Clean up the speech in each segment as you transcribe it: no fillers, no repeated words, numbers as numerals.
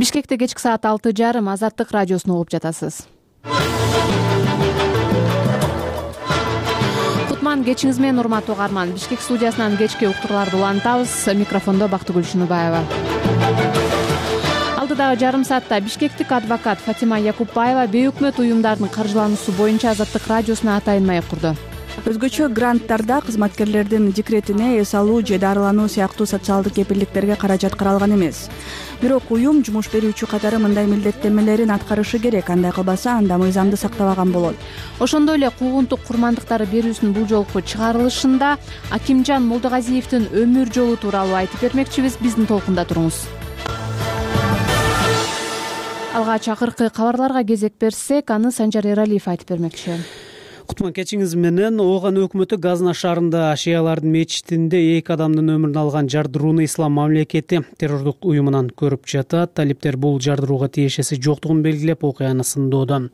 Бишкекте кечки саат 6:30 Азаттык радиосун угуп жатасыз. Кутман кечиңиз менен урматтуу угарман. Бишкек студиясынан кечки уктурларды улантабыз. Микрофондо Бактыгүл Шыныбаева. Алдыдагы жарым саатта бишкектик адвокат Фатима Якупбаева бейөкмөт уюмдардын каржылануусу боюнча Азаттык радиосуна атайын маек курду. Өзгөчө гранттарда кызматкерлердин декретине эс алуу же дарылануу сыяктуу социалдык кепилдиктерге каражат каралган эмес. Бирок уюм жумуш берүүчү катары мындай милдеттенмелерин аткарышы керек. Андай кылбаса анда мыйзамды сактабаган болот. Ошондой эле куугунтук курмандыктары берүүсүнүн бул жолку чыгарылышында Акимжан Молдогазиевдин өмүр жолу тууралуу айтып бермекчибиз. Биздин толкунда туруңуз. Алгач акыркы кабарларга кезек берсек, аны Санжар Эралиев айтып бермекчи. Кутман кечиңиз менен Ооган өкмөтү Газна шаарында шиялардын мечитинде 2 адамдын өмүрүн алган жардырууну Ислам мамлекети террордук уюмунан көрүп жатат. Талиптер бул жардырууга тиешеси жоктугун белгилеп, окуяны сындоодо.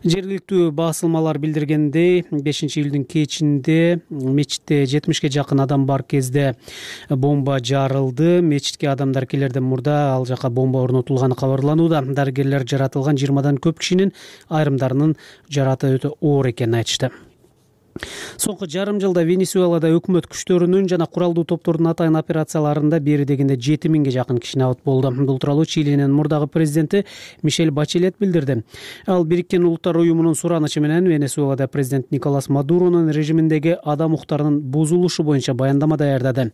Жергиликтүү басылмалар билдиргендей, 5-июлдун кечинде мечитте 70ге жакын адам бар кезде бомба жарылды. Мечитке адамдар келерден мурда ал жака бомба орнотулганы кабарланууда. Дарыгерлер жаратылган 20дан көп кишинин айрымдарынын жараты өтө оор экенин айтышты. Соңку жарым жылда Венесуэлада өкмөт күчтөрүнүн жана куралдуу топтордун атайын операцияларында бери дегенде 7000ге жакын киши абат болду. Бул тууралуу Чилинин мурдагы президенти Мишель Бачелет билдирди. Ал Бириккен Улуттар уюмунун суранычы менен Венесуэлада президент Николас Мадуронун режиминдеги адам укуктарынын бузулушу боюнча баяндама даярдады.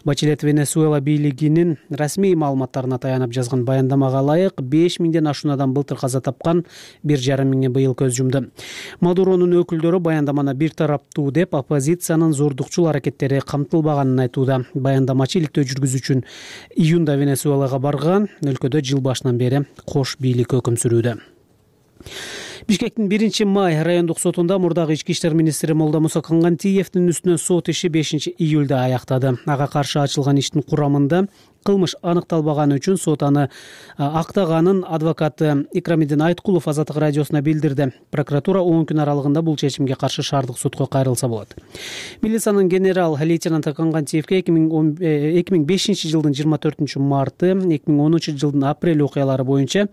Бачелет Венесуэла бийлигинин расмий маалыматтарына таянып жазган баяндамага ылайык 5000ден ашуун адам былтыр каза тапкан, 1,5 миңи быйыл көз жумду. Мадуронун өкүлдөрү баяндаманы бир тараптуу деп оппозициянын зордукчул аракеттери камтылбаганын айтууда. Баяндамачы иликтөө жүргүзүүчүн июнда Венесуэлага барган, өлкөдө жыл башынан бери кош бийлик өкүм сүрүүдө. Бишкектин 1-май райондук сотунда мурдагы ички иштер министри Молдомуса Кангантиевдин үстүнөн сот иши 5-июлда аяктады. Ага каршы ачылган иштин курамында кылмыш аныкталбаганы үчүн сот аны актаганын адвокаты Икрамиддин Айткулов Азаттык радиосуна билдирди. Прокуратура 10 күн аралыгында бул чечимге каршы шаардык сотко кайрылса болот. Милициянын генерал-лейтенанты Кангантиевге 2005 жылдын 24 марты, 2010 жылдын апрель окуялары боюнча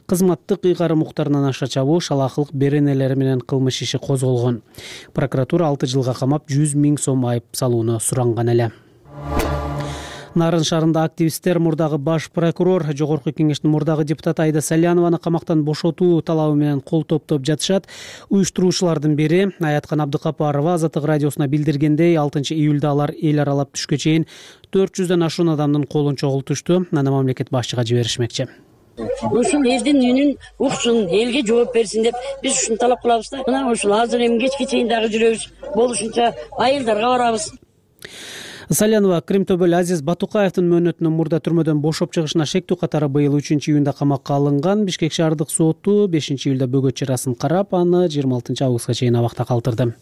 кызматтык ыйгарым укуктарынан аша чабуу, шалаакылык беренелери менен кылмыш иши козголгон. Прокуратура 6 жылга камап 100 000 сом айып салууну суранган эле. Нарын шаарында активисттер мурдагы баш прокурор, жогорку кеңештин мурдагы депутаты Айда Салянованы камактан бошотуу талабы менен кол топтоп жатышат. Уюштуруучулардын бири Аяткан Абдыкапарова Азаттык радиосуна билдиргендей, 6-июлда алар эл аралап түшкө чейин 400дөн ашуун адамдын колун чогултушту. Аны мамлекет башчыга жиберишмекчи. Ушул элдин үнүн уксун, элге жооп берсин деп биз ушуну талап кылабыз да. Мына ушул азыр эми кечке чейин дагы жүрөбүз. Болушунча айылдарга барабыз. Салянова Кримтобөл Азиз Батукаевдин мөөнөтүнөн мурда түрмөдөн бошоп чыгышына шектүү катары быйыл 3-июнда камакка алынган. Бишкек шаардык соту 5-июлда бөгөт чарасын карап, аны 26 августка чейин абакта калтырды.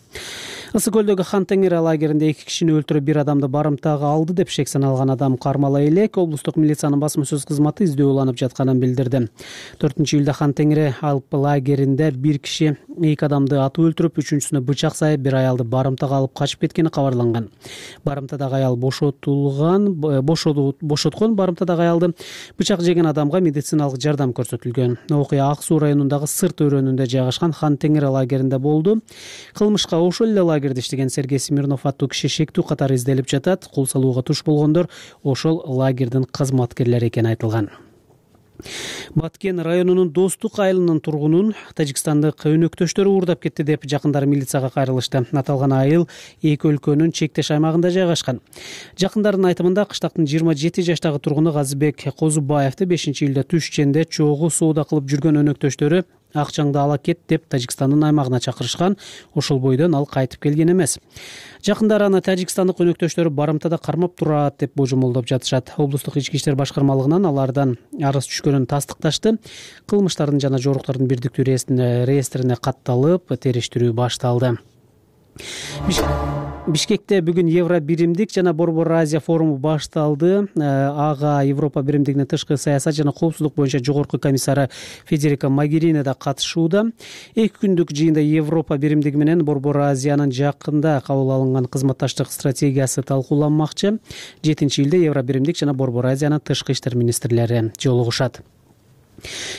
Ысык көлдөгү Хан Теңир лагеринде 2 кишини өлтүрүп, 1 адамды барымтага алды деп шек саналган адам кармала элек. Облустук милициянын басма сөз кызматы издөө уланып жатканын билдирди. 4-июлда Хан Теңир алып лагеринде 1 киши 2 адамды атып өлтүрүп, 3-үчүсүнө бычак сайып, 1 аялды барымтага алып качып кеткени кабарланган. Барымтадагы аял бошоткон. Барымтадагы аялды бычак жеген адамга медициналык жардам көрсөтүлгөн. Окуя Ак Суу районундагы Сырт өрөөнүндө жайгашкан Хан Теңир лагеринде болду. Кылмышка ошол эле лагерде иштеген Сергей Смирнов аттуу киши шектүү катары изделип жатат. Кол салууга туш болгондор ошол лагердин кызматкерлери экени айтылган. Баткен районунун Достук айылынын тургунун тажикстандык өнөктөштөрү уурдап кетти деп жакындары милицияга кайрылышты. Аталган айыл эки өлкөнүн чектеш аймагында жайгашкан. Жакындардын айтымында кыштактын 27 жаштагы тургуну Газыбек Козубаевди 5-июлда түш ченде чогуу соода кылып жүргөн өнөктөштөрү акчаңды ала кет деп Тажикстандын аймагына чакырышкан. Ошол бойдон ал кайтып келген эмес. Жакындары аны тажикстандык өнөктөштөрү барымтада кармап турат деп божомолдоп жатышат. Облустук ички иштер башкармалыгынан алардан арыз түшкөнүн тастыкташты. Кылмыштардын жана жоруктардын бирдиктүү реестрине катталып, териштирүү башталды. Бишкекте бүгүн Евро биримдик жана Борбор Азия форуму башталды. Ага Европа биримдигинин тышкы саясат жана коопсуздук боюнча жогорку комиссары Федерика Могерини да катышууда. 2 күндүк жыйында Европа биримдиги менен Борбор Азиянын жакында кабыл алынган кызматташтык стратегиясы талкууланмакчы. 7-июлда Евро биримдик жана Борбор Азиянын тышкы иштер министрлери жолугушат.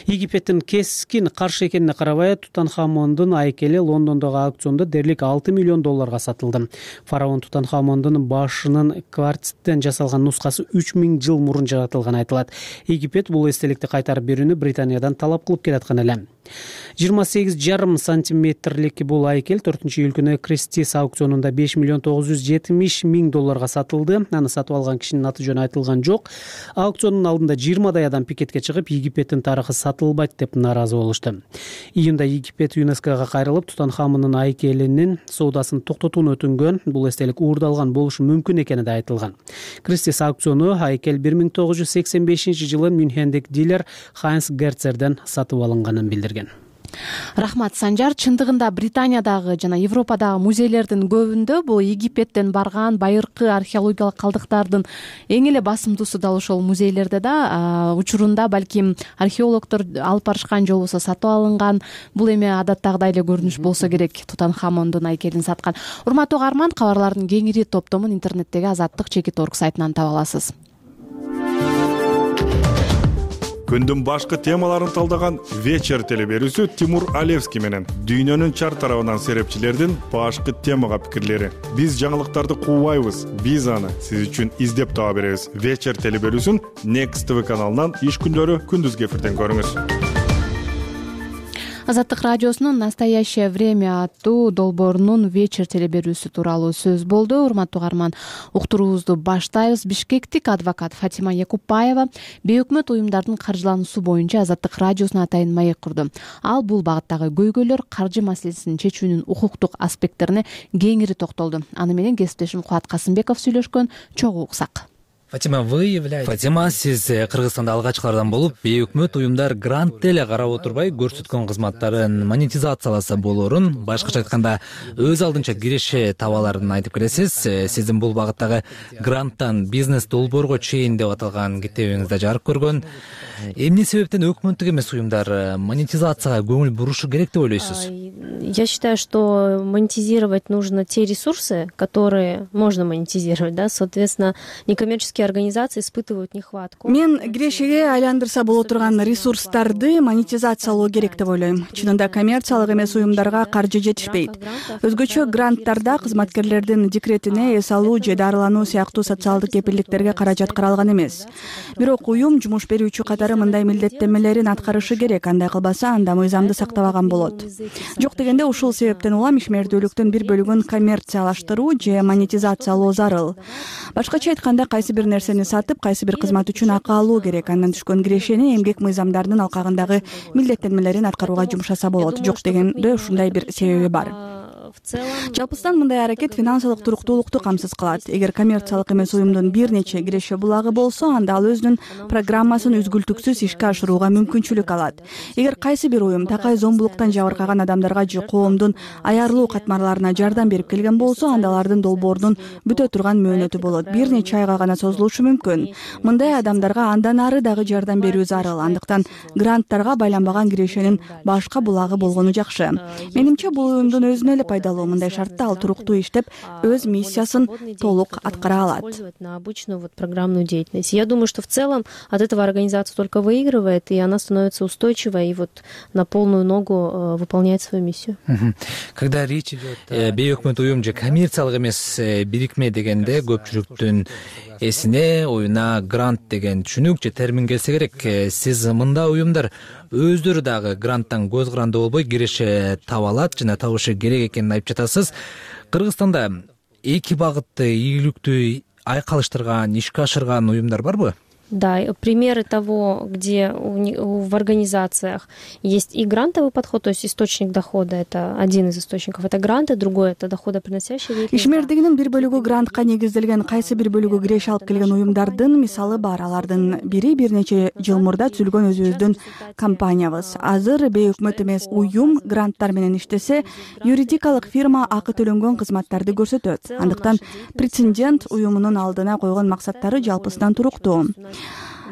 Египеттин кескин каршы экенине карабай, Тутанхамондун айкели Лондондогу аукциондо дээрлик $6 миллион сатылды. Фараон Тутанхамондун башынын кварциттен жасалган нускасы 3000 жыл мурун жаратылганы айтылат. Египет бул эстеликти кайтарып берүүнү Британиядан талап кылып келаткан эле. 28,5 сантиметрлик бул айкел 4-июль күнү Кристис аукционунда $5 миллион $970,000 сатылды. Аны сатып алган кишинин аты жөнү айтылган жок. Аукциондун алдында 20 адам пикетке чыгып, Египеттин тарыхы сатылбайт деп наразы болушту. Июнда Египет ЮНЕСКОга кайрылып, Тутанхамондун айкелинин соодасын токтотууну өтүнгөн. Бул эстелик уурдалган болушу мүмкүн экени да айтылган. Кристис аукциону айкел 1985 жылы Мюнхендик дилер Хайнс Герцерден сатып алынганын билдирген. Рахмат, Санжар. Чындыгында Британиядагы жана Европадагы музейлердин көбүндө бул Египеттен барган байыркы археологиялык калдыктардын эң эле басымдуусу дал ошол музейлерде да. Учурунда балким археологдор алып барышкан же болбосо сатып алынган. Бул эми адаттагыдай эле көрүнүш болсо керек, Тутанхамондун айкелин саткан. Урматтуу угарман, кабарлардын кеңири топтомун интернеттеги Азаттык.org сайтынан таба аласыз. Күндүн башкы темаларын талдаган вечер телеберүүсү Тимур Алевский менен дүйнөнүн чар тарабынан серепчилердин башкы темага пикирлери. Биз жаңылыктарды куубайбыз, биз аны сиз үчүн издеп таба беребиз. Вечер телеберүүсүн Next TV каналынан иш күндөрү күндүзгү эфирден көрүңүз. Азаттык радиосунун «Настоящее время» аттуу долбоорунун вечер телеберүүсү тууралуу сөз болду. Урматтуу угарман, уктуруубузду баштайбыз. Бишкектик адвокат Фатима Якупбаева бейөкмөт уюмдардын каржылануусу боюнча Азаттык радиосуна атайын маек курду. Ал бул багыттагы көйгөйлөр, каржы маселесин чечүүнүн укуктук аспекттерине кеңири токтолду. Аны менен кесиптешим Кубат Касымбеков сүйлөшкөн. Чогуу уксак. Фатима, сиз Кыргызстанда алгачкылардан болуп, бейөкмөт уюмдар грант деле карап отурбай көрсөткөн кызматтарын монетизацияласа болорун, башкача айтканда, өз алдынча киреше табаларын айтып келесиз. Сиздин бул багыттагы гранттан бизнес долбоорго чейин деп аталган китебиңизде жарык көргөн. Эмне себептен өкмөттүк эмес уюмдар монетизацияга көңүл бурушу керек деп ойлойсуз? Я считаю, что монетизировать нужно те ресурсы, которые можно монетизировать, да, соответственно, некоммерческие организации испытывают нехватку. Мен кирешеге айландырса боло турган ресурстарды монетизациялоо керек деп ойлойм. Чынында коммерциялык эмес уюмдарга каржы жетишпейт. Өзгөчө гранттарда кызматкерлердин декретине эс алуу же дарылануу сыяктуу социалдык кепилдиктерге каражат каралган эмес. Бирок уюм жумуш берүүчү катары мындай милдеттенмелерин аткарышы керек. Андай кылбаса, анда мыйзамды сактабаган болот. Жок дегенде ушул себептен улам ишмердүүлүктүн бир бөлүгүн коммерциялаштыруу же монетизациялоо зарыл. Башкача айтканда, кайсы бир нерсени сатып, кайсы бир кызмат үчүн акы алуу керек. Андан түшкөн кирешени эмгек мыйзамдарынын алкагындагы милдеттенмелерин аткарууга жумшаса болот. Жок дегенде ушундай бир себеби бар. Жалпысынан мындай аракет финансылык туруктуулукту камсыз кылат. Эгер коммерциялык эмес уюмдун бир нече киреше булагы болсо, анда ал өзүнүн программасын үзгүлтүксүз ишке ашырууга мүмкүнчүлүк алат. Эгер кайсы бир уюм такай зомбулуктан жабыркаган адамдарга же коомдун аярлуу катмарларына жардам берип келген болсо, анда алардын долбоорунун бүтө турган мөөнөтү болот. Бир нече айга гана созулушу мүмкүн. Мындай адамдарга андан ары дагы жардам берүү зарыл. Андыктан гранттарга байланбаган кирешенин башка булагы болгону жакшы. Менимче, бул уюмдун өзүнө эле пайдалуу. Мындай шартта ал туруктуу иштеп, өз миссиясын толук аткара алат. На обычную программную деятельность. Я думаю, что в целом от этого организация только выигрывает, и она становится устойчивой и на полную ногу выполняет свою миссию. Когда речь идет бейөкмөт уюм же коммерциялык эмес бирикме дегенде, көпчүлүктүн эсине, оюна грант деген түшүнүк же термин келсе керек. Сиз мында уюмдар өздөрү дагы гранттан көз каранды болбой киреше таба алат жана табышы керек экенин айтып жатасыз. Кыргызстанда эки багытты ийгиликтүү айкалыштырган, ишке ашырган уюмдар барбы? Да, примеры того, где в организациях есть и грантовый подход, то есть источник дохода, это один из источников, это гранты, другой это доходоприносящий деятельность. Ишмердигинин бир бөлүгү грантка негизделген, кайсы бир бөлүгү киреше алып келген уюмдардын мисалы бар. Алардын бири бир нече жыл мурда түзүлгөн өзүбүздүн компаниябыз. Азыр бейөкмөт эмес уюм гранттар менен иштесе, юридикалык фирма акы төлөнгөн кызматтарды көрсөтөт. Андыктан претендент уюмунун алдына койгон максаттары жалпысынан туруктуу.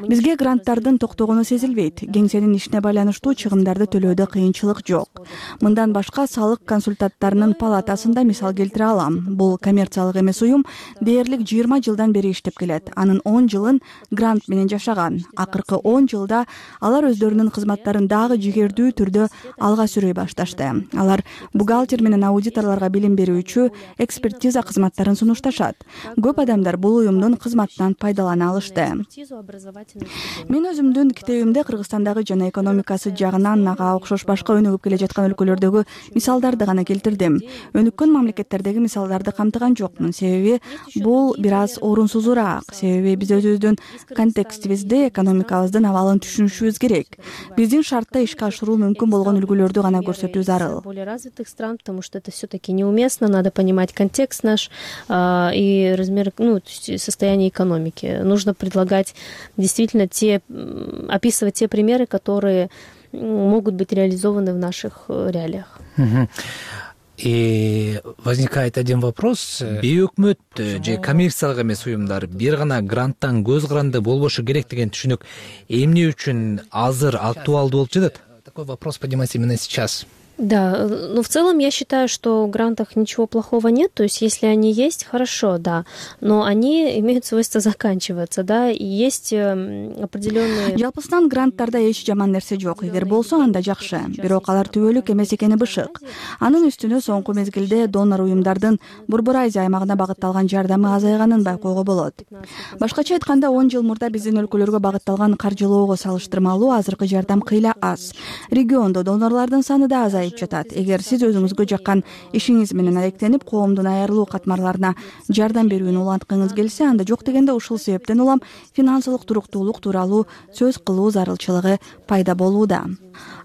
Бизге гранттардын токтогону сезилбейт. Кеңсенин ишине байланыштуу чыгымдарды төлөөдө кыйынчылык жок. Мындан башка салык консультанттарынын палатасында мисал келтире алам. Бул коммерциялык эмес уюм дээрлик 20 жылдан бери иштеп келет. Анын 10 жылын грант менен жашаган. Акыркы 10 жылда алар өздөрүнүн кызматтарын дагы жигердүү түрдө алга сүрөй башташты. Алар бухгалтер менен аудиторлорго билим берүүчү экспертиза кызматтарын сунушташат. Көп адамдар бул уюмдун кызматынан пайдалана алышты. Мен өзүмдүн китебимде Кыргызстандагы жана экономикасы жагынан ага окшош башка өнүгүп келе жаткан өлкөлөрдөгү мисалдарды гана келтирдим. Өнүккөн мамлекеттердеги мисалдарды камтыган жокмун. Себеби бул бир аз орунсузураак. Себеби биз өзүбүздүн контекстибизде экономикабыздын абалын түшүнүшүбүз керек. Биздин шартта ишке ашыруу мүмкүн болгон үлгүлөрдү гана көрсөтүү зарыл. Более развитых стран, потому что это все-таки неуместно, надо понимать контекст наш и размер, состояние экономики. Нужно предлагать действительно описывать те примеры, которые могут быть реализованы в наших реалиях. И возникает один вопрос. Бейөкмөт же коммерциялык эмес уюмдар бир гана гранттан көз каранды болбошу керек деген түшүнүк эмне үчүн азыр актуалдуу болуп жатат? Такой вопрос поднимается именно сейчас. Да, в целом я считаю, что в грантах ничего плохого нет, то есть если они есть, хорошо, да, но они имеют свойство заканчиваться, да, и есть определенные... Жалпысынан гранттарда эч жаман нерсе жок, эгер болсо анда жакшы, бирок алар түбөлүк эмес экени бышык. Анын үстүнө соңку мезгилде донор уюмдардын Борбор Азия аймагына багытталган жардамы азайганын байкоого болот. Башкача айтканда 10 жыл мурда биздин өлкөлөргө багытталган каржылоого салыштырмалуу азыркы жардам кыйла аз. Региондо донорлордун саны да азайып жатат. Эгер сиз өзүңүзгө жаккан ишиңиз менен алектенип, коомдун айрылуу катмарларына жардам берүүнү уланткыңыз келсе, анда жок дегенде ушул себептен улам финансылык туруктуулук тууралуу сөз кылуу зарылчылыгы пайда болууда.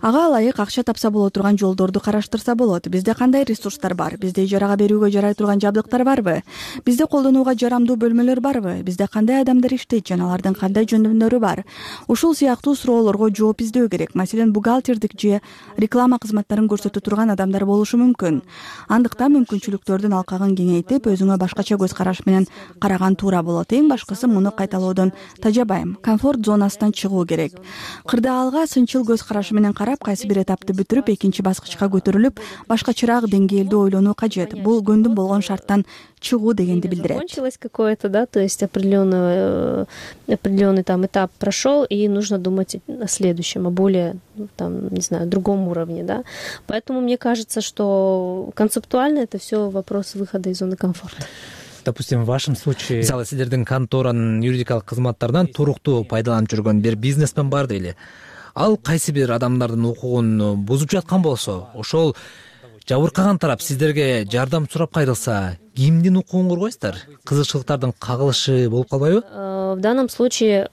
Ага ылайык акча тапса боло турган жолдорду караштырса болот. Бизде кандай ресурстар бар? Бизде ижарага берүүгө жарай турган жабдыктар барбы? Бизде колдонууга жарамдуу бөлмөлөр барбы? Бизде кандай адамдар иштейт жана алардын кандай жөндөмдөрү бар? Ушул сыяктуу суроолорго жооп издөө керек. Маселен, бухгалтердик же реклама кызматтарын көрсөтө турган адамдар болушу мүмкүн. Андыктан мүмкүнчүлүктөрдүн алкагын кеңейтип, өзүңө башкача көз караш менен караган туура болот. Эң башкысы муну кайталоодон тажабайм. Комфорт зонасынан чыгуу керек. Кырдаалга сынчыл көз карашы менен карап, кайсы бир этапты бүтүрүп, экинчи баскычка көтөрүлүп, башкачараак деңгээлде ойлонуу кажет. Бул көндүм болгон шарттан чыгуу дегенди билдирет. Закончилось какое-то, да, то есть определенный там этап прошел, и нужно думать о следующем, о более, там, не знаю, другом уровне, да. Поэтому мне кажется, что концептуально это все вопрос выхода из зоны комфорта. Допустим, в вашем случае, мисалы сиздердин конторанын юридикалык кызматтарынан туруктуу пайдаланып жүргөн бир бизнесмен бар дейли. Ал кайсы бир адамдардын укугун бузуп жаткан болсо, ошол жабыркаган тарап сиздерге жардам сурап кайрылса, кимдин укугун коргойсуздар? Кызыкчылыктардын кагылышы болуп калбайбы? В данном случае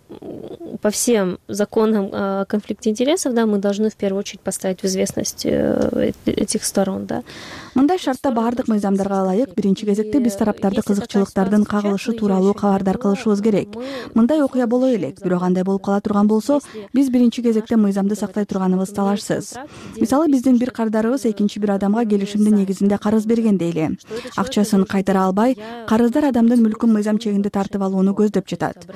по всем законам о конфликте интересов, да, мы должны в первую очередь поставить в известность этих сторон, да. Мындай шартта баардык мыйзамдарга ылайык биринчи кезекте биз тараптарды кызыкчылыктардын кагылышы тууралуу кабардар кылышыбыз керек. Мындай окуя боло элек, бирок андай болуп кала турган болсо, биз биринчи кезекте мыйзамды сактай турганыбыз талашсыз. Мисалы, биздин бир карыздарыбыз экинчи бир адамга келишимдин негизинде карыз берген дейли. Акчасын кайтара албай, карыздар адамдын мүлкүн мыйзам чегинде тартып алууну көздөп жатат.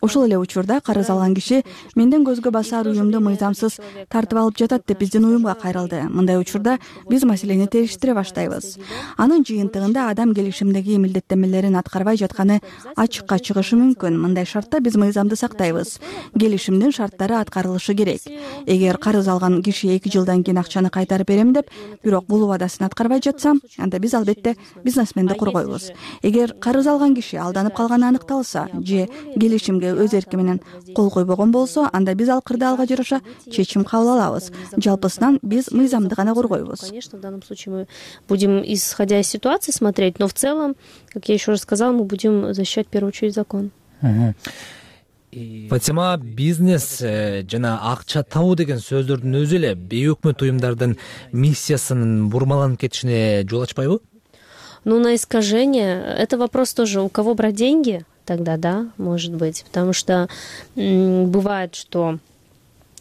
Ошол эле учурда карыз алган киши менден көзгө басар уюмду мыйзамсыз тартып алып жатат деп биздин уюмга кайрылды. Мындай учурда биз маселени териштире баштайбыз. Анын жыйынтыгында адам келишимдеги милдеттенмелерин аткарбай жатканы ачыкка чыгышы мүмкүн. Мындай шартта биз мыйзамды сактайбыз. Келишимдин шарттары аткарылышы керек. Эгер карыз алган киши 2 жылдан кийин акчаны кайтарып берем деп, бирок бул убадасын аткарбай жатса, анда биз албетте бизнесменди коргойбуз. Эгер карыз алган киши алданып калганы аныкталса же келишимге өз эрки менен кол койбогон болсо, анда биз ал кырдаалга жараша чечим кабыл алабыз. Жалпысынан биз мыйзамды гана коргойбуз. Конечно, в данном случае мы будем, исходя из ситуации, смотреть, но в целом, как я еще раз сказала, мы будем защищать в первую очередь закон. Фатима, бизнес жана акча табуу деген сөздөрдүн өзү эле бейөкмөт уюмдардын миссиясынын бурмаланып кетишине жол ачпайбы? Ну, на искажение, это вопрос тоже, у кого брать деньги, тогда да, может быть, потому что бывает, что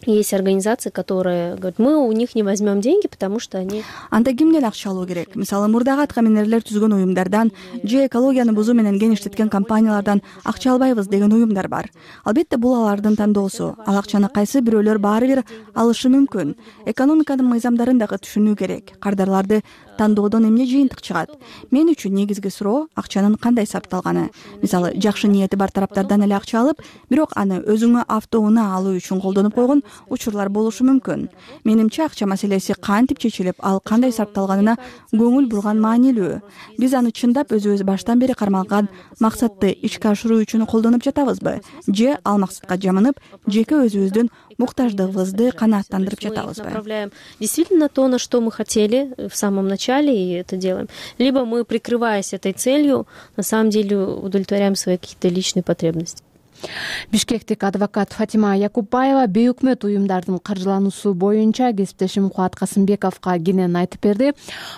Есть организации, которые говорят, мы у них не возьмем деньги, потому что они... Анда кимден акча алуу керек? Мисалы, мурдагы атка минерлер түзгөн уюмдардан же экологияны бузуу менен кеңиштеткен компаниялардан акча албайбыз деген уюмдар бар. Албетте бул алардын тандоосу. Ал акчаны кайсы бирөөлөр баары бир алышы мүмкүн. Экономиканын мыйзамдарын дагы түшүнүү керек. Кардарларды тандоодон эмне жыйынтык чыгат? Мен үчүн негизги суроо акчанын кандай сарпталганы. Мисалы, жакшы ниети бар тараптардан эле акча алып, бирок аны өзүңө автоунаа алуу үчүн колдонуп койгон учурлар болушу мүмкүн. Менимче акча маселеси кантип чечилип, ал кандай сарпталганына көңүл бурган маанилүү. Биз аны чындап өзүбүз баштан бери кармалган максатты ишке ашыруу үчүн колдонуп жатабызбы? Же ал максатка жамынып, жеке өзүбүздүн муктаждыгыбызды канааттандырып жатабызбы? Направляем действительно то, на что мы хотели в самом начале, и это делаем. Либо мы, прикрываясь этой целью, на самом деле удовлетворяем свои какие-то личные потребности. Бишкектик адвокат Фатима Якупбаева бейөкмөт уюмдардын каржылануусу боюнча кесиптешим Кубат Касымбековго кенен айтып берди.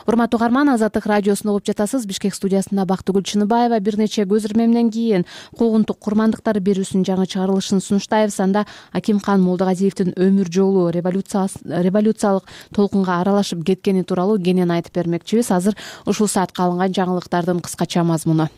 Урматтуу угарман, Азаттык радиосун угуп жатасыз. Бишкек студиясында Бактыгүл Чыныбаева бир нече көз ирмемден кийин куугунтук курмандыктар берүүсүнүн жаңы чыгарылышын сунуштайбыз. Анда Акимхан Молдогазиевдин өмүр жолу революциялык толкунга аралашып кеткени тууралуу кенен айтып бермекчибиз. Азыр ушул саатка алынган жаңылыктардын кыскача мазмуну.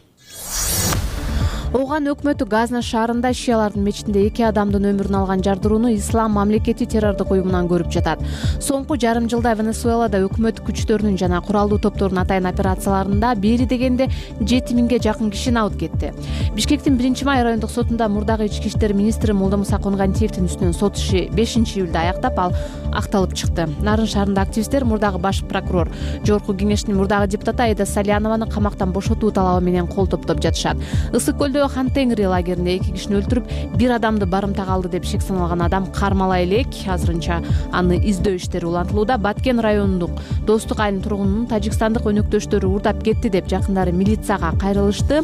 Ооган өкмөтү Газна шаарында шиялардын мечитинде 2 адамдын өмүрүн алган жардырууну Ислам мамлекети террордук уюмунан көрүп жатат. Соңку жарым жылда Венесуэлада өкмөт күчтөрүнүн жана куралдуу топтордун атайын операцияларында бери дегенде 7000ге жакын кишини алып кетти. Бишкектин 1-май райондук сотунда мурдагы ички иштер министри Молдомуса Конгантиевдин үстүнөн сот иши 5-июлда аяктап, ал акталып чыкты. Нарын шаарында активисттер мурдагы баш прокурор, Жогорку кеңештин мурдагы депутаты Аида Салянованы камактан бошотуу талабы менен кол топтоп жатышат. Ысык көлдө Хан Теңри лагеринде 2 кишини өлтүрүп, 1 адамды барымтага алды деп шек саналган адам кармала элек. Азырынча аны издөө иштери улантылууда. Баткен районундук Достук айылынын тургунунун тажикстандык өнөктөштөрү урдап кетти деп жакындары милицияга кайрылышты.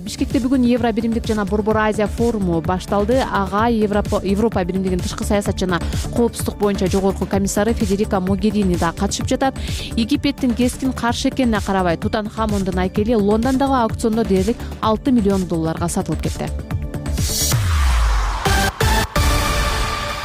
Бишкекте бүгүн Евро биримдик жана Борбор Азия форуму башталды. Ага Европа биримдигинин тышкы саясат жана коопсуздук боюнча жогорку комиссары Федерика Могерини да катышып жатат. Египеттин кескин каршы экенине карабай, Тутанхамондун айкели Лондондогу аукциондо дээрлик $6 миллион сатылып кетти.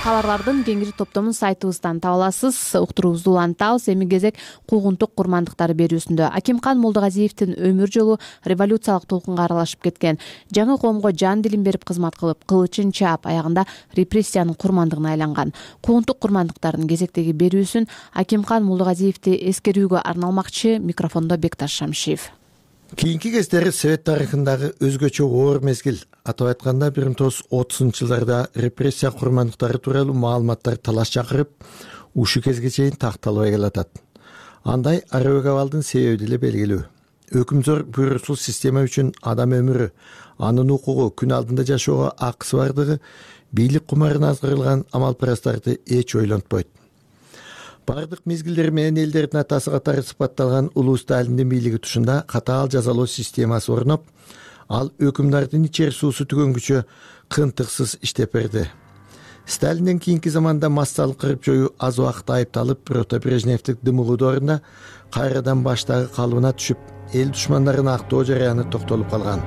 Кабарлардын кеңири топтомун сайтыбыздан таба аласыз. Уктуруубузду улантабыз. Эми кезек куугунтук курмандыктары берүүсүндө. Акимхан Молдогазиевдин өмүр жолу революциялык толкунга аралашып кеткен. Жаңы коомго жан дилин берип кызмат кылып, кылычын чаап, аягында репрессиянын курмандыгына айланган. Куугунтук курмандыктардын кезектеги берүүсүн Акимхан Молдогазиевди эскерүүгө арналмакчы. Микрофондо Бекташ Шамшиев. Кийинки кездери Совет тарыхындагы өзгөчө оор мезгил. Атап айтканда 1930-жылдарда репрессия курмандыктары тууралуу маалыматтар талаш чакырып, ушу кезге чейин такталбай келатат. Андай арабек абалдын себеби деле белгилүү. Өкүмзөр буйруксуз система үчүн адам өмүрү, анын укугу, күн алдында жашоого акысы бардыгы бийлик кумарына азгырылган амалпарастарды эч ойлонтпойт. Бардык мезгилдер менен элдердин атасы катары сыпатталган улуу Сталиндин бийлиги тушунда катаал жазалоо системасы орноп, ал өкүмдардын ичер суусу түгөнгүчө кынтыксыз иштеп берди. Сталинден кийинки заманда массалык кырып жоюу аз убакыт айыпталып, бирок Брежневдик дымыгуудун ордуна кайрадан баштагы калыбына түшүп, эл душмандарын актоо жараяны токтолуп калган.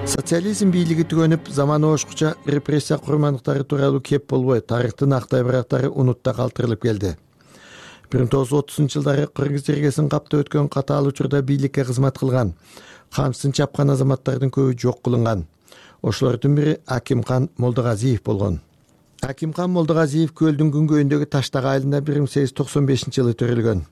Социализм бийлиги түгөнүп, заманобошкуча репрессия курмандыктары тууралуу кеп болбой, тарыхтын актай барактары унутта калтырылып келди. 1930-жылдары Кыргыз жергесин каптап өткөн катаал учурда бийликке кызмат кылган, камсын чапкан азаматтардын көбү жок кылынган. Ошолордун бири Акимхан Молдогазиев болгон. Акимхан Молдогазиев көлдүн күнгөйүндөгү Таштак айылында 1895-жылы төрөлгөн.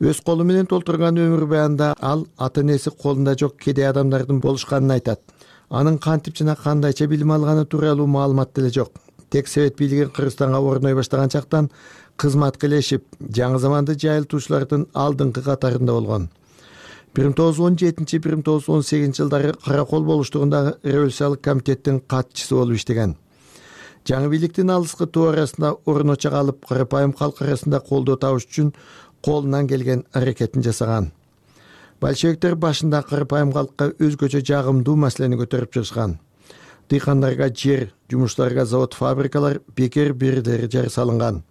Өз колу менен толтурган өмүр баянында ал ата-энеси колунда жок кедей адамдардын болушканын айтат. Анын кантип жана кандайча билим алганы тууралуу маалымат деле жок. Тек Совет бийлиги Кыргызстанга орной баштаган чактан кызматка илешип, жаңы заманды жайылтуучулардын алдыңкы катарында болгон. 1917-1918 жылдары Каракол болуштугундагы революциялык комитеттин катчысы болуп иштеген. Жаңы бийликтин алыскы тоо арасында орноча калып, карапайым калк арасында колдоо табыш үчүн колунан келген аракетин жасаган. Большевиктер башында карапайым калкка өзгөчө жагымдуу маселени көтөрүп чыгышкан. Дыйкандарга жер, жумуштарга завод, фабрикалар бекер берилери жар салынган.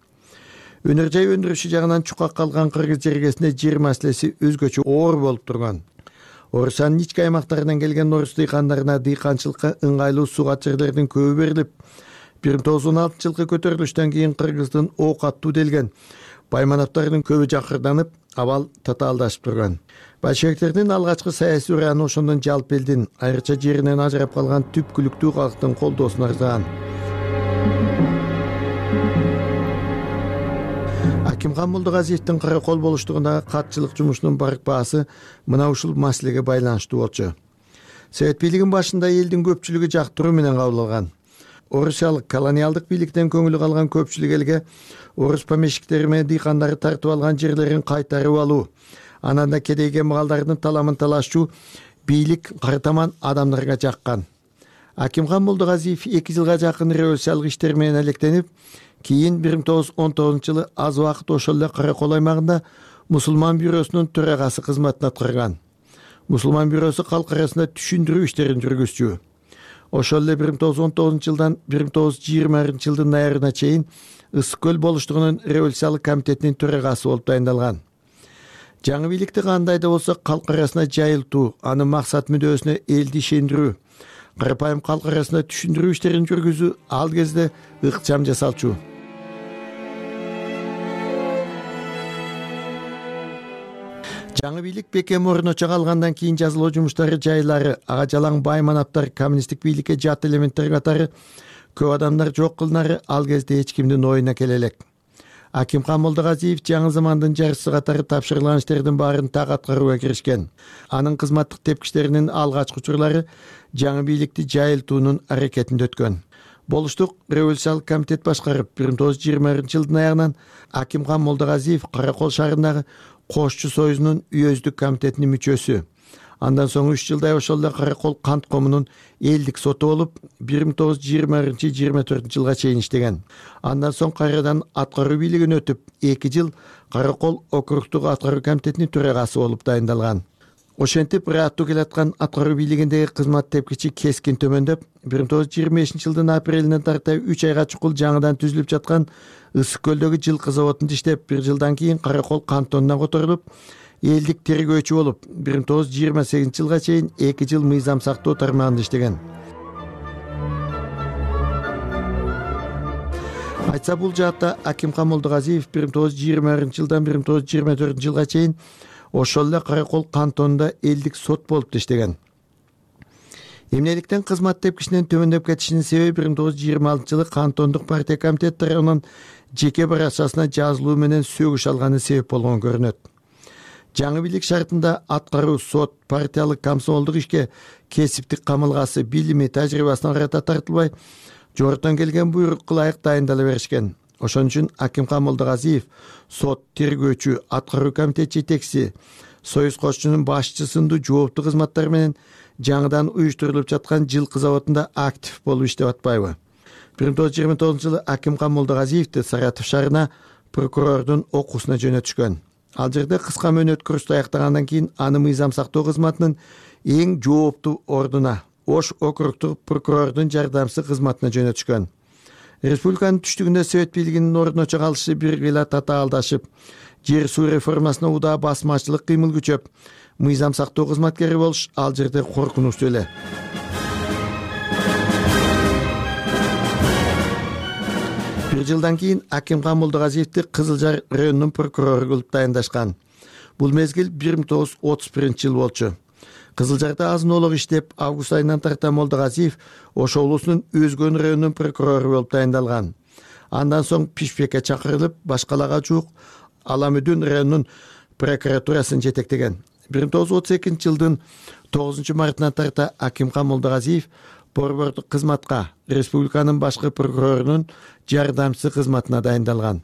Өнөр жай өндүрүшү жагынан чукак калган Кыргыз жергесинде жер маселеси өзгөчө оор болуп турган. Орусиянын ички аймактарынан келген орус дыйкандарына дыйканчылыкка ыңгайлуу сугат жерлердин көбү берилип, 1916-жылкы көтөрүлүштөн кийин Кыргыздын ок аттуу делген байманаптарынын көбү жакырданып, абал татаалдашып турган. Большевиктердин алгачкы саясий ураны ошондон жалпы элдин, айрыкча жеринен ажырап калган түпкүлүктүү калктын колдоосуна ырзаган. Акимхан Молдогазиевдин каракол болуштугундагы катчылык жумушунун барк баасы мына ушул маселеге байланыштуу болчу. Совет бийлигинин башында элдин көпчүлүгү жактыруу менен кабыл алган. Орусиялык колониалдык бийликтен көңүлү калган көпчүлүк элге орус помещиктери менен дыйкандары тартып алган жерлерин кайтарып алуу, анан да кедейге маалдардын таламын талашчу бийлик картаман адамдарга жаккан. Акимхан Молдогазиев 2 жылга жакын революциялык иштер менен электенип, кийин 1919-жылы аз убакыт ошол эле Каракол аймагында мусулман бюросунун төрагасы кызматын аткарган. Мусулман бюросу калк арасында түшүндүрүү иштерин жүргүзчү. Ошол эле 1919-жылдан 1920-жылдын ноябрына чейин Ысык көл болуштугунун революциялык комитетинин төрагасы болуп дайындалган. Жаңы бийликти кандай да болсо калк арасына жайылтуу, анын максат мүдөөсүнө элди ишендирүү, карапайым калк арасында түшүндүрүү иштерин жүргүзүү ал кезде ыкчам жасалчу. Жаңы бийлик бекем орночо калгандан кийин жазылуу жумуштары жайлары, ага жалаң байманаптар, коммунисттик бийликке жат элементтер катары көп адамдар жок кылнары ал кезде эч кимдин оюна келе элек. Акимхан Молдогазиев жаңы замандын жарчысы катары тапшырылган иштердин баарын так аткарууга киришкен. Анын кызматтык тепкичтеринин алгачкы учурлары жаңы бийликти жайылтуунун аракетинде өткөн. Болуштук революциялык комитет башкарып, 1920-жылдын аягынан Акимхан Молдогазиев Каракол шаарындагы Кошчу союзунун үйөздүк комитетинин мүчөсү. Андан соң 3 жылдай ошол эле Каракол кант комунун элдик соту болуп, 1920-24 жылга чейин иштеген. Андан соң кайрадан аткаруу бийлигине өтүп, 2 жыл Каракол округдук аткаруу комитетинин төрагасы болуп дайындалган. Ошентип, ыраттуу келаткан аткаруу бийлигиндеги кызмат тепкичи кескин төмөндөп, 1925-жылдын апрелинен тарта 3 айга чукул жаңыдан түзүлүп жаткан Ысык көлдөгү жылкы заводунда иштеп, 1 жылдан кийин Каракол кантонуна которулуп, элдик тергөөчү болуп, 1928-жылга чейин 2 жыл мыйзам сактоо тармагында иштеген. Айтса бул жаатта Акимхан Молдогазиев 1920-жылдан 1924 жылга чейин ошол эле Каракол кантонунда элдик сот болуп иштеген. Эмнеликтен кызмат тепкичинин төмөндөп кетишинин себеби 1926-жылы кантондук партия комитети тарабынан жеке баракчасына жазылуу менен сөгүш алганы себеп болгон көрүнөт. Жаңы бийлик шартында аткаруу, сот, партиялык, комсомолдук ишке кесиптик камылгасы, билими, тажрыйбасына карата тартылбай, жогорудон келген буйрукка ылайык дайындала беришкен. Ошон үчүн Акимхан Молдогазиев сот, тергөөчү, аткаруу комитет жетекчиси, союз кошчунун башчысы сындуу жооптуу кызматтар менен жаңыдан уюштурулуп жаткан жылкы заводунда актив болуп иштеп атпайбы? 1929-жылы Акимхан Молдогазиевди Саратов шаарына прокурордун окуусуна жөнөтүшкөн. Ал жерде кыска мөөнөт курсту аяктагандан кийин аны мыйзам сактоо кызматынын эң жооптуу ордуна, Ош округдук прокурордун жардамчысы кызматына жөнөтүшкөн. Республиканын түштүгүндө Совет бийлигинин орночо калышы биргеле татаалдашып, жер суу реформасына удаа басмачылык кыймыл күчөп, мыйзам сактоо кызматкери болуш ал жерде коркунучтуу эле. Bir жылдан кийин Акимхан Молдогазиевди Кызыл Жар районунун прокурору кылып дайындашкан. Бул мезгил 1931-жыл болчу. Кызыл Жарда азын-олук иштеп, август айынан тарта Молдогазиев Ош облусунун Өзгөн районунун прокурору болуп дайындалган. Андан соң Пишпекке чакырылып, башкалага жуук Аламүдүн районунун прокуратурасын жетектеген. 1932-жылдын 9 мартынан тарта Акимхан Молдогазиев борбордук кызматка, республиканын башкы прокурорунун жардамчысы кызматына дайындалган.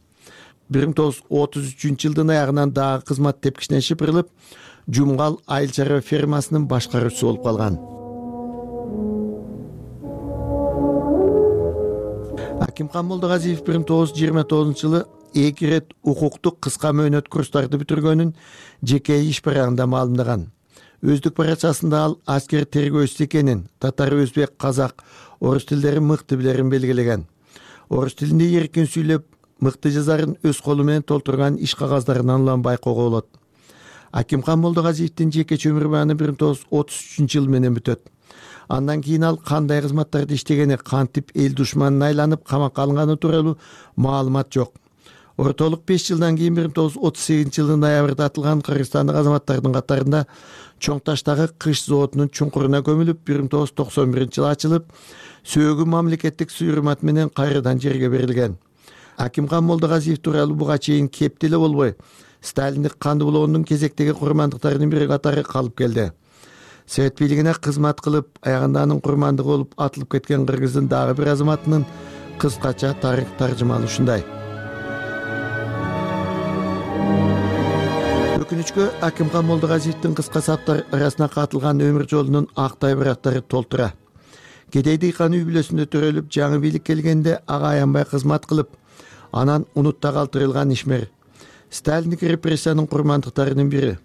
1933-жылдын аягынан дагы кызмат тепкичинен шыпырылып, Жумгал айыл чарба фермасынын башкаруучусу болуп калган. Акимхан Молдогазиев 1929-жылы 2 рет укуктук кыска мөөнөт курстарды бүтүргөнүн жеке иш барагында маалымдаган. Өздүк баракчасында ал аскер тергөөчүсү экенин, татар, өзбек, казак, орус тилдерин мыкты билерин белгилеген. Орус тилинде эркин сүйлөп, мыкты жазарын өз колу менен толтурган иш кагаздарынан улам байкоого болот. Акимхан Молдогазиевдин жекече өмүр бааны 1933 менен бүтөт. Андан кийин ал кандай кызматтарды иштегени, кантип эл душманына айланып камакка алынганы тууралуу маалымат жок. Ортолук 5 жылдан кийин 1938 ноябрда атылган кыргызстандык азаматтардын катарында Чоң Таштагы кыш заводунун чуңкуруна көмүлүп, 1991 ачылып, сөөгү мамлекеттик суйрмат менен кайрадан жерге берилген. Акимхан Молдогазиев тууралуу буга чейин кеп деле болбой, Сталиндик канды булоонун кезектеги курмандыктарынын бири катары калып келди. Совет бийлигине кызмат кылып, аягында анын курмандыгы болуп атылып кеткен кыргыздын дагы бир азаматынын кыскача тарых таржымалы ушундай. Өкүнүчкө Акимхан Молдогазиевдин кыска саптар арасына катылган өмүр жолунун ак тайбыраттары толтура. Кедей дыйкан үй бүлөсүндө төрөлүп, жаңы бийлик келгенде ага аянбай кызмат кылып, анан унутта калтырылган ишмер. Сталиндик репрессиянын курмандыктарынын бири.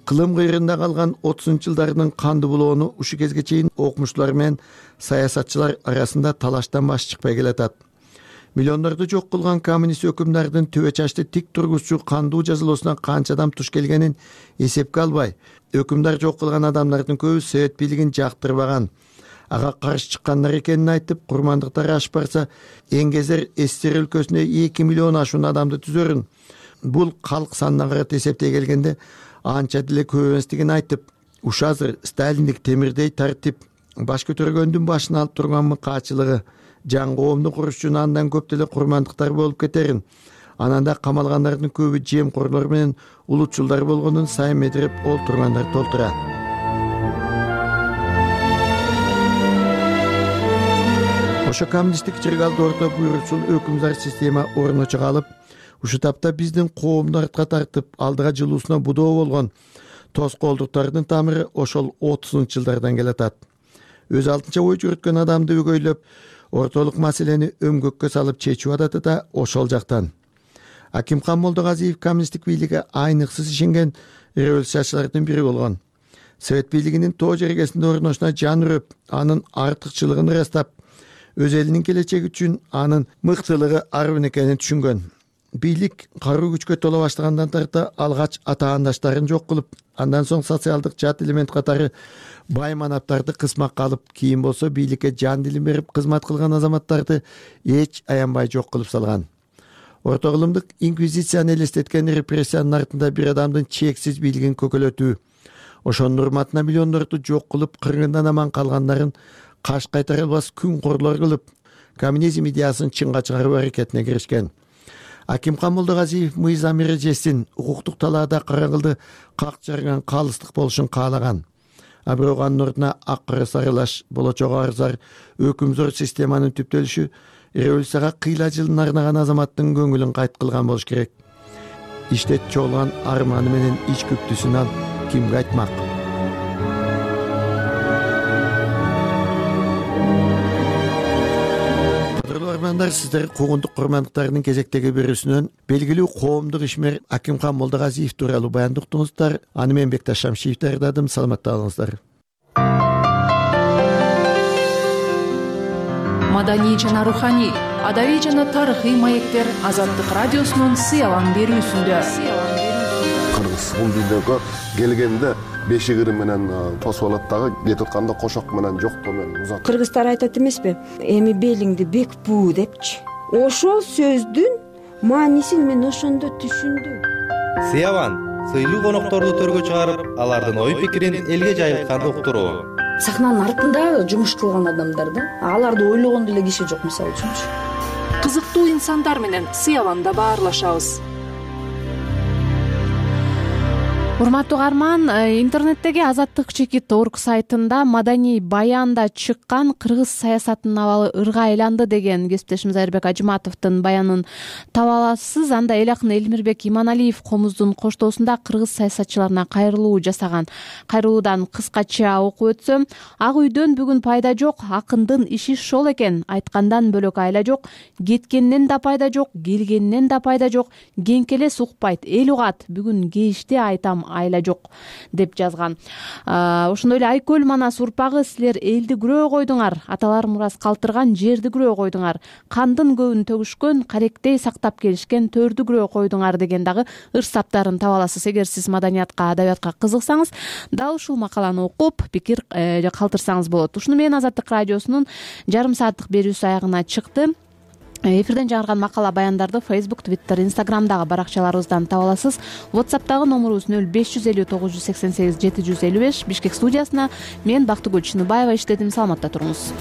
Кылым кыйрында калган 30-жылдардын канды булоону ушу кезге чейин окумуштуулар менен саясатчылар арасында талаштан баш чыкпай келатат. Миллиондорду жок кылган коммунист өкүмдардын төбө чачты тик тургузчу кандуу жазалоосуна канча адам туш келгенин эсепке албай, өкүмдар жок кылган адамдардын көбү Совет бийлигин жактырбаган, ага каршы чыккандар экенин айтып, курмандыктар ашып барса, Эңгезер СССР өлкөсүндө 2 миллион ашуун адамды түзөрүн. Бул калк санына карата эсептей келгенде анча деле көп эместигин айтып, ушу азыр Сталиндик темирдей тартип, баш көтөргөндүн башын алып турган мыкаачылыгы, жаңы коомду куруш үчүн андан көп деле курмандыктар болуп кетерин, ананда камалгандардын көбү жемкорлор менен улутчулдар болгонун сайын медирип олтургандар толтура. Ошо коммунисттик чыргалды орто буйрукчул өкүмдар система орночо калып, ушу тапта биздин коомду артка тартып, алдыга жылуусуна будоо болгон тоскоолдуктардын тамыры ошол 30-жылдардан келатат. Өз алтынча ой жүрөткөн адамды өгөйлөп, ортолук маселени өмгөккө салып чечүү адаты да ошол жактан. Акимхан Молдогазиев коммунисттик бийликке айныксыз ишенген революциячылардын бири болгон. Совет бийлигинин тоо жергесинде орношуна жан үрөп, анын артыкчылыгын ырастап, өз элинин келечеги үчүн анын мыктылыгы арбын экенин түшүнгөн. Бийлик каруу күчкө тола баштагандан тарта алгач атаандаштарын жок кылып, андан соң социалдык жат элемент катары бай манаптарды кысмакка алып, кийин болсо бийликке жан дилин берип кызмат кылган азаматтарды эч аянбай жок кылып салган. Орто кылымдык инквизицияны элестеткен репрессиянын артында бир адамдын чексиз бийлигин көкөлөтүү, ошонун урматына миллиондорду жок кылып, кыргындан аман калгандарын каш кайтара албас күн корлор кылып, коммунизм идеясын чынга чыгаруу аракетине киришкен. Акимхан Молдогазиев мыйзам эрежесин, укуктук талаада караңгылды как жарган калыстык болушун каалаган. А бирок анын ордуна ак кара сарылаш, болочогу арзар, өкүмзор системанын түптөлүшү революцияга кыйла жылын арнаган азаматтын көңүлүн кайт кылган болуш керек. Иштет чогулган арманы менен ич күптүсүн ал кимге айтмак? Сиздер куугунтук курмандыктарынын кезектеги берүүсүнөн белгилүү коомдук ишмер Акимхан Молдогазиев тууралуу баяндоо уктуңуздар. Аны мен Бекташ Шамшиев даярдадым. Саламатта болуңуздар. Маданий жана руханий, адабий жана тарыхый маектер Азаттык радиосунун сыялан берүүсүндө. Кыргыз бул дүйнөгө келгенде бешигири менен тосуп алат дагы, кетип атканда кошок менен жоктоо менен узат. Кыргыздар айтат эмеспи? Эми белиңди бек буу депчи. Ошол сөздүн маанисин мен ошондо түшүндүм. Сыяван сыйлуу конокторду төргө чыгарып, алардын ой пикирин элге жайылтканды уктуруу. Сахнанын артында жумуш кылган адамдар да, аларды ойлогон деле киши жок, мисалы үчүнчү. Кызыктуу инсандар менен Сыяванда баарлашабыз. Урматтуу угарман, интернеттеги azattik.org сайтында маданий баянда чыккан кыргыз саясатынын абалы ырга айланды деген кесиптешimiz Айырбек Ажыматовдун баянын таба аласыз. Анда эл акыны Элмирбек Иманалиев комуздун коштоосунда кыргыз саясатчыларына кайрылуу жасаган. Кайрылуудан кыскача окуп өтсөм, ак үйдөн бүгүн пайда жок, акындын иши шол экен, айткандан бөлөк айла жок, кеткенден да пайда жок, келгенден да пайда жок, кеңкелес укпайт, эл угат, бүгүн кечте айтам айла жок деп жазган. Ошондой эле Айкөл Манас урпагы, силер элди күрөө койдуңар, аталар мурас калтырган жерди күрөө койдуңар, кандын көбүн төгүшкөн, каректей сактап келишкен төрдү күрөө койдуңар деген дагы ыр саптарын таба аласыз. Эгер сиз маданиятка, адабиятка кызыксаңыз, дал ушул макаланы окуп пикир калтырсаңыз болот. Ушуну менен Азаттык радиосунун жарым сааттык берүүсү аягына чыкты. Эфирден жаңырган макала баяндарды Facebook, Twitter, Instagramдагы баракчаларыбыздан таба аласыз. WhatsApp'тагы номурубуз 0550 988 755. Бишкек студиясына мен Бактыгүл Чыныбаева иштедим. Саламатта туруңуз.